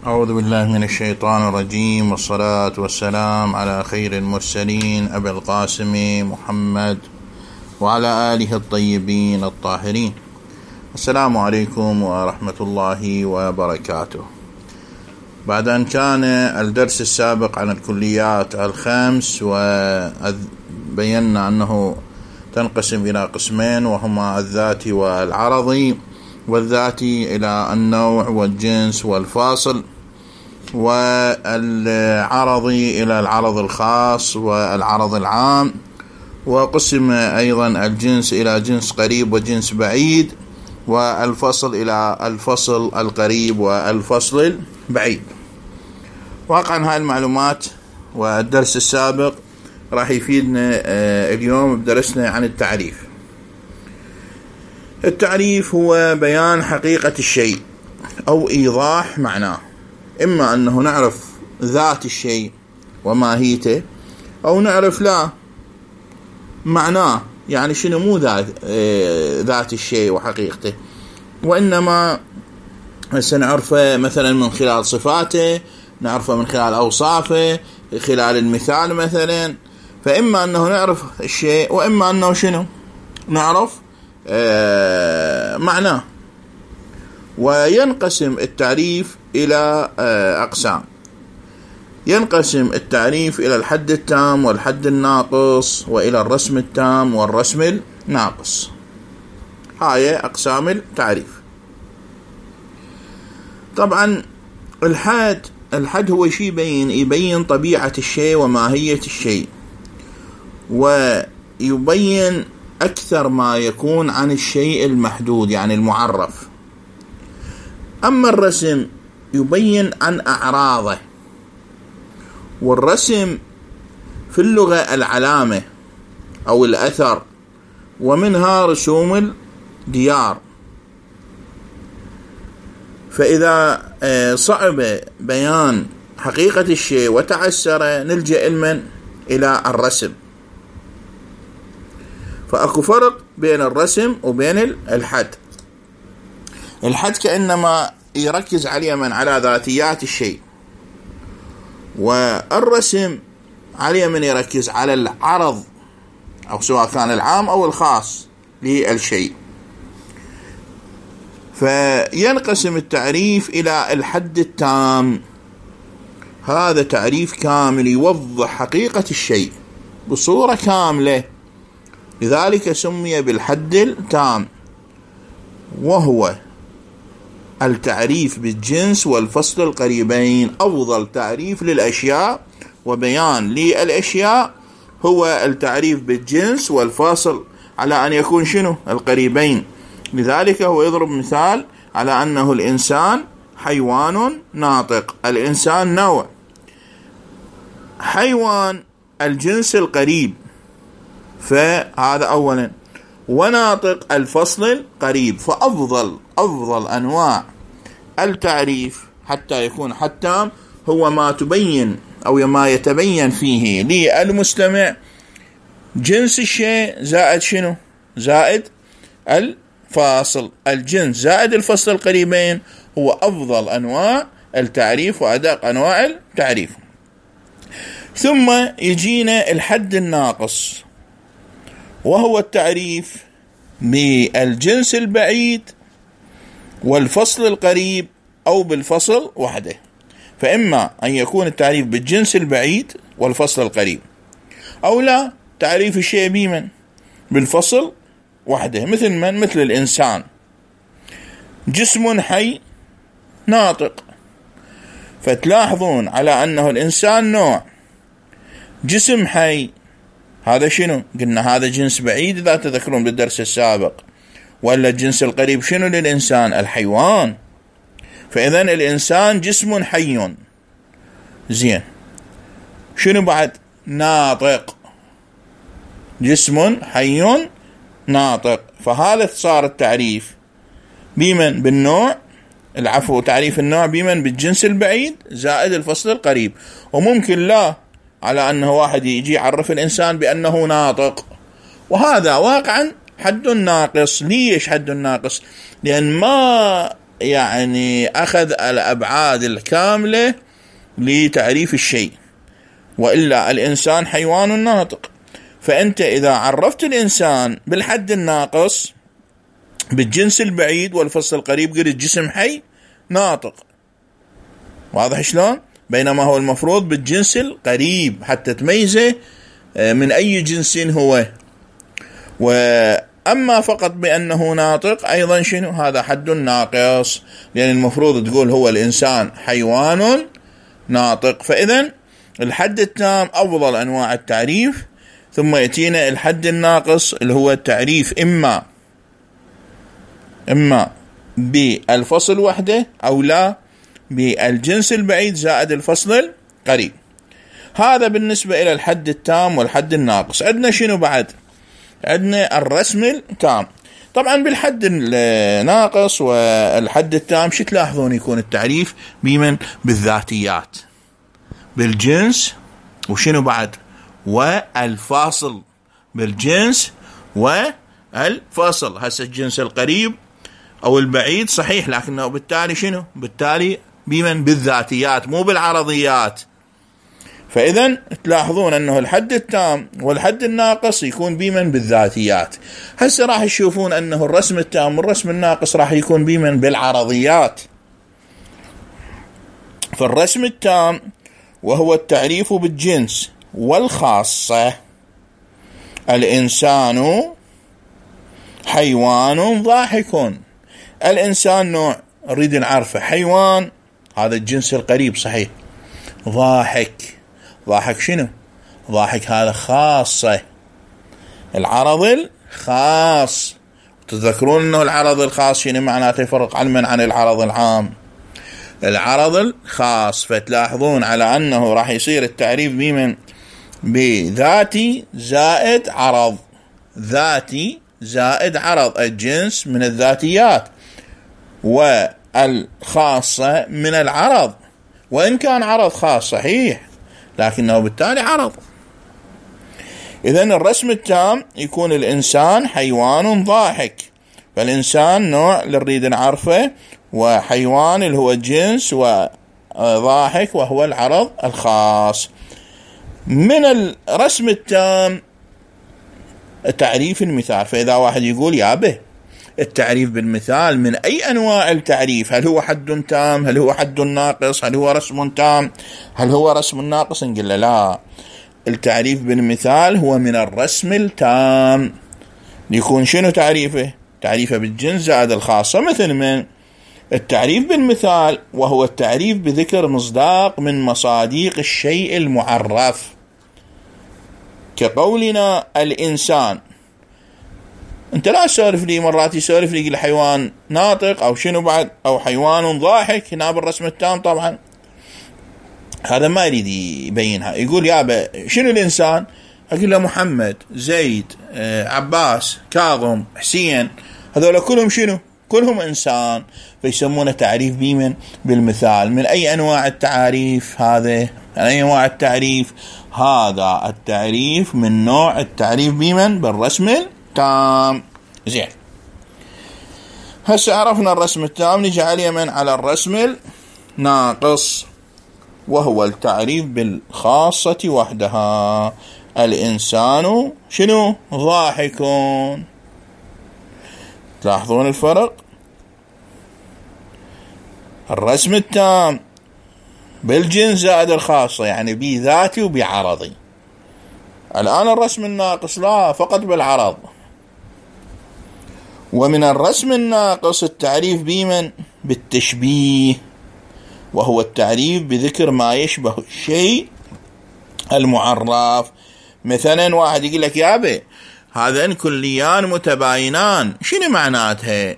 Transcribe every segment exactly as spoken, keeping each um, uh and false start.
أعوذ بالله من الشيطان الرجيم، والصلاة والسلام على خير المرسلين أبي القاسم محمد وعلى آله الطيبين الطاهرين. السلام عليكم ورحمة الله وبركاته. بعد أن كان الدرس السابق عن الكليات الخمس وبينا أنه تنقسم إلى قسمين، وهما الذاتي والعرضي، والذاتي إلى النوع والجنس والفاصل، والعرضي إلى العرض الخاص والعرض العام. وقسم أيضا الجنس إلى جنس قريب وجنس بعيد، والفصل إلى الفصل القريب والفصل البعيد. واقعا هاي المعلومات والدرس السابق راح يفيدنا اليوم بدرسنا عن التعريف. التعريف هو بيان حقيقة الشيء أو إيضاح معناه، إما أنه نعرف ذات الشيء وماهيته، أو نعرف لا معناه، يعني شنو مو ذات, ذات الشيء وحقيقته، وإنما سنعرفه مثلا من خلال صفاته، نعرفه من خلال أوصافه، خلال المثال مثلا. فإما أنه نعرف الشيء، وإما أنه شنو نعرف آه معناه. وينقسم التعريف إلى آه أقسام. ينقسم التعريف إلى الحد التام والحد الناقص، وإلى الرسم التام والرسم الناقص. هاي أقسام التعريف. طبعا الحد الحد هو شيء يبين يبين طبيعة الشيء وماهية الشيء، ويبين أكثر ما يكون عن الشيء المحدود يعني المعرف. أما الرسم يبين عن أعراضه، والرسم في اللغة العلامة أو الأثر، ومنها رسوم الديار. فإذا صعب بيان حقيقة الشيء وتعسر نلجأ المن إلى الرسم. فأكو فرق بين الرسم وبين الحد. الحد كأنما يركز على من على ذاتيات الشيء، والرسم على من يركز على العرض، أو سواء كان العام أو الخاص للشيء. فينقسم التعريف إلى الحد التام. هذا تعريف كامل يوضح حقيقة الشيء بصورة كاملة، لذلك سمي بالحد التام، وهو التعريف بالجنس والفصل القريبين. أفضل تعريف للأشياء وبيان للأشياء هو التعريف بالجنس والفاصل، على أن يكون شنو القريبين. لذلك هو يضرب مثال على أنه الإنسان حيوان ناطق. الإنسان نوع، حيوان الجنس القريب، فهذا أولا، وناطق الفصل القريب. فأفضل أفضل أنواع التعريف حتى يكون حتى هو ما تبين أو ما يتبين فيه للمستمع جنس الشيء زائد شنو زائد الفاصل. الجنس زائد الفصل القريبين هو أفضل أنواع التعريف وأدق أنواع التعريف. ثم يجينا الحد الناقص، وهو التعريف بالجنس البعيد والفصل القريب أو بالفصل وحده. فإما أن يكون التعريف بالجنس البعيد والفصل القريب، أو لا تعريف الشيء بمن بالفصل وحده. مثل من؟ مثل الإنسان جسم حي ناطق. فتلاحظون على أنه الإنسان نوع، جسم حي هذا شنو؟ قلنا هذا جنس بعيد إذا تذكرون بالدرس السابق. ولا الجنس القريب شنو للإنسان؟ الحيوان. فإذن الإنسان جسم حي. زين، شنو بعد؟ ناطق، جسم حي ناطق. فهذا صار التعريف بمن؟ بالنوع، العفو تعريف النوع بمن؟ بالجنس البعيد زائد الفصل القريب. وممكن لا على أنه واحد يجي يعرف الإنسان بأنه ناطق، وهذا واقعا حد ناقص. ليش حد ناقص؟ لأن ما يعني أخذ الأبعاد الكاملة لتعريف الشيء، وإلا الإنسان حيوان ناطق. فأنت إذا عرفت الإنسان بالحد الناقص بالجنس البعيد والفصل القريب قلت جسم حي ناطق، واضح شلون؟ بينما هو المفروض بالجنس القريب حتى تميزه من أي جنس هو. وأما فقط بأنه ناطق أيضا شنو؟ هذا حد ناقص، لأن المفروض تقول هو الإنسان حيوان ناطق. فإذن الحد التام أفضل أنواع التعريف، ثم يأتينا الحد الناقص اللي هو التعريف إما إما بالفصل وحده أو لا بالجنس البعيد زائد الفصل القريب. هذا بالنسبة إلى الحد التام والحد الناقص. عندنا شنو بعد؟ عندنا الرسم التام. طبعا بالحد الناقص والحد التام شو تلاحظون يكون التعريف بمن؟ بالذاتيات، بالجنس، وشنو بعد؟ والفاصل. بالجنس والفاصل. هسه الجنس القريب أو البعيد صحيح، لكنه بالتالي شنو؟ بالتالي بمن؟ بالذاتيات مو بالعرضيات. فإذا تلاحظون أنه الحد التام والحد الناقص يكون بمن؟ بالذاتيات. هسه راح تشوفون أنه الرسم التام والرسم الناقص راح يكون بمن؟ بالعرضيات. فالرسم التام وهو التعريف بالجنس والخاصة: الإنسان حيوان ضاحك. الإنسان نوع نريد نعرفه، حيوان هذا الجنس القريب صحيح، ضاحك، ضاحك شنو؟ ضاحك هذا خاصة، العرض الخاص. تذكرون أنه العرض الخاص شنو معناته؟ يفرق علما عن العرض العام، العرض الخاص. فتلاحظون على أنه راح يصير التعريف بمن؟ بذاتي زائد عرض، ذاتي زائد عرض، الجنس من الذاتيات والخاصة من العرض، وإن كان عرض خاص صحيح لكنه بالتالي عرض. إذن الرسم التام يكون الإنسان حيوان ضاحك، فالإنسان نوع اللي نريد نعرفه، وحيوان اللي هو الجنس، وضاحك وهو العرض الخاص. من الرسم التام تعريف المثال. فإذا واحد يقول يا به التعريف بالمثال من أي أنواع التعريف؟ هل هو حد تام؟ هل هو حد ناقص؟ هل هو رسم تام؟ هل هو رسم ناقص؟ نقول له لا، التعريف بالمثال هو من الرسم التام. يكون شنو تعريفه؟ تعريفه بالجنس زائد الخاصة. مثل من التعريف بالمثال وهو التعريف بذكر مصداق من مصاديق الشيء المعرف، كقولنا الإنسان. انت لا تسولف لي مرات يسولف لي يقول حيوان ناطق او شنو بعد او حيوان ضاحك. هنا بالرسم التام طبعا هذا ما يريد يبينها، يقول يابا شنو الإنسان؟ أقول له محمد، زيد، عباس، كاظم، حسين، هذول كلهم شنو؟ كلهم إنسان. فيسمونه تعريف بمن؟ بالمثال. من أي أنواع التعاريف هذا؟ من أي أنواع التعريف؟ هذا التعريف من نوع التعريف بمن؟ بالرسم التام. زين، هسه عرفنا الرسم التام، نجي على من؟ على الرسم الناقص، وهو التعريف بالخاصة وحدها. الإنسان شنو؟ ضاحكون. تلاحظون الفرق؟ الرسم التام بالجنس زائد الخاصة، يعني بذاتي وبعرضي. الآن الرسم الناقص لا، فقط بالعرض. ومن الرسم الناقص التعريف بمن؟ بالتشبيه، وهو التعريف بذكر ما يشبه الشيء المعرف. مثلا واحد يقول لك يا أبي هذين كليان متباينان، شنو معناتها؟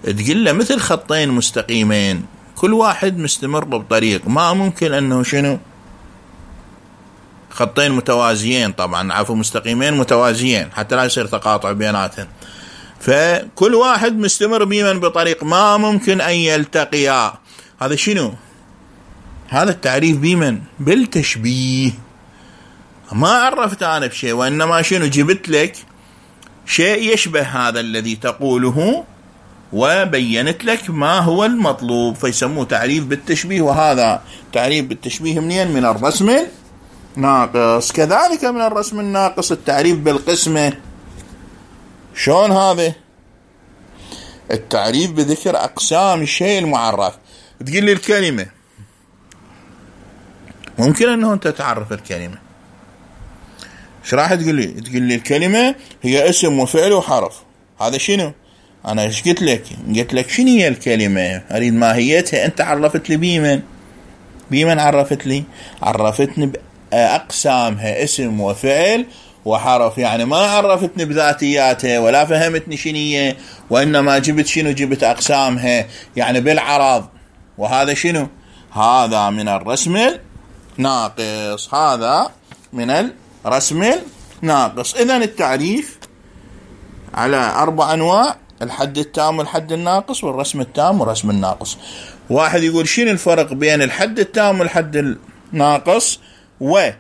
تقول له مثل خطين مستقيمين كل واحد مستمر بطريق، ما ممكن أنه شنو خطين متوازيين، طبعا عفوا مستقيمين متوازيين حتى لا يصير تقاطع بيناتهم. فكل واحد مستمر بمن؟ بطريق، ما ممكن أن يلتقيا. هذا شنو؟ هذا التعريف بمن؟ بالتشبيه. ما عرفت أنا بشيء، وإنما شنو؟ جبت لك شيء يشبه هذا الذي تقوله وبينت لك ما هو المطلوب، فيسموه تعريف بالتشبيه. وهذا تعريف بالتشبيه منين؟ من الرسم الناقص. كذلك من الرسم الناقص التعريف بالقسمة. شلون هذا؟ التعريف بذكر أقسام الشيء المعرف. تقول لي الكلمة، ممكن أنه أنت تعرف الكلمة. ايش راح تقول لي؟ تقول لي الكلمة هي اسم وفعل وحرف. هذا شنو؟ أنا ايش قلت لك؟ قلت لك شنو هي الكلمة؟ أريد ماهيتها. أنت عرفت لي بيمن بيمن عرفت لي عرفتني بأقسامها، اسم وفعل وحرف. يعني ما عرفتني بذاتياتها ولا فهمتني شنية، وإنما جبت شنو؟ جبت أقسامها، يعني بالعرض. وهذا شنو؟ هذا من الرسم الناقص. هذا من الرسم الناقص. إذن التعريف على أربع أنواع: الحد التام والحد الناقص والرسم التام والرسم الناقص. واحد يقول شنو الفرق بين الحد التام والحد الناقص؟ و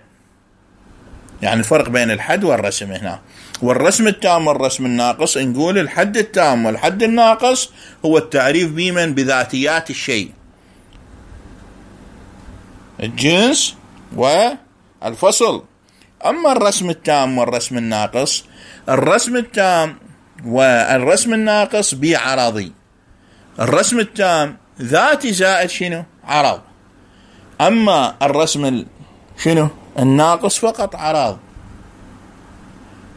يعني الفرق بين الحد والرسم هنا. والرسم التام والرسم الناقص، نقول الحد التام والحد الناقص هو التعريف بمن؟ بذاتيات الشيء، الجنس والفصل. أما الرسم التام والرسم الناقص، الرسم التام والرسم الناقص بعرضي. الرسم التام ذاتي زائد شنو؟ عرض. أما الرسم شنو؟ الناقص فقط عرض.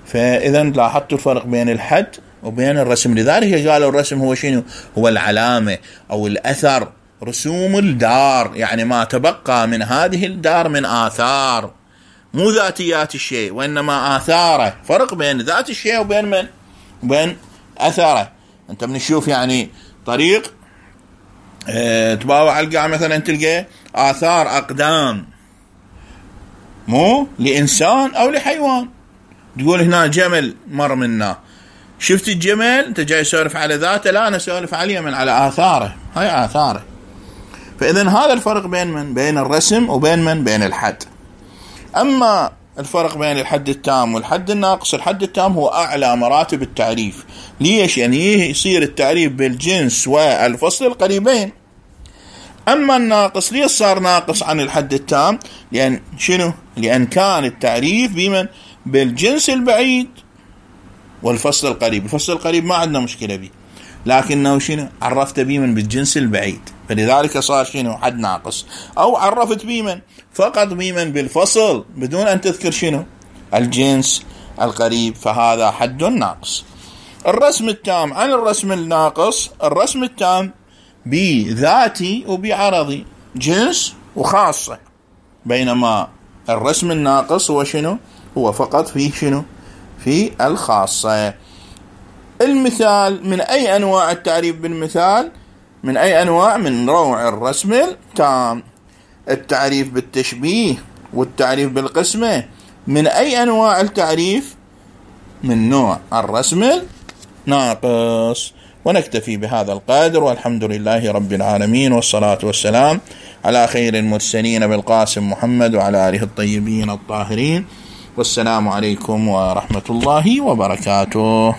فإذا لاحظتوا الفرق بين الحد وبين الرسم. لذلك قالوا الرسم هو شنو؟ هو العلامة أو الأثر، رسوم الدار، يعني ما تبقى من هذه الدار من آثار، مو ذاتيات الشيء وإنما آثاره. فرق بين ذات الشيء وبين من؟ وبين أثره. أنت من تشوف يعني طريق اه تباوع على القاع مثلا تلقى آثار أقدام، مو لإنسان أو لحيوان. تقول هنا جمل مر منا، شفت الجمل أنت جاي سولف على ذاته؟ لا، أنا سولف عليه من على آثاره، هاي آثاره. فإذن هذا الفرق بين من؟ بين الرسم وبين من؟ بين الحد. أما الفرق بين الحد التام والحد الناقص، الحد التام هو أعلى مراتب التعريف. ليش؟ يعني يصير التعريف بالجنس والفصل القريبين. أما الناقص ليش صار ناقص عن الحد التام؟ لأن شنو؟ لأن كان التعريف بمن؟ بالجنس البعيد والفصل القريب. الفصل القريب ما عندنا مشكلة به، لكنه شنو؟ عرفت بمن؟ بالجنس البعيد، فلذلك صار شنو؟ حد ناقص. أو عرفت بمن؟ فقط بمن؟ بالفصل، بدون أن تذكر شنو؟ الجنس القريب، فهذا حد ناقص. الرسم التام عن الرسم الناقص، الرسم التام بذاتي وبعرضي، جنس وخاصة، بينما الرسم الناقص هو شنو؟ هو فقط في شنو؟ في الخاصة. المثال من أي أنواع التعريف بالمثال؟ من أي أنواع؟ من نوع الرسم التام. التعريف بالتشبيه والتعريف بالقسمة من أي أنواع التعريف؟ من نوع الرسم الناقص. ونكتفي بهذا القدر، والحمد لله رب العالمين، والصلاة والسلام على خير المرسلين بالقاسم محمد وعلى آله الطيبين الطاهرين. والسلام عليكم ورحمة الله وبركاته.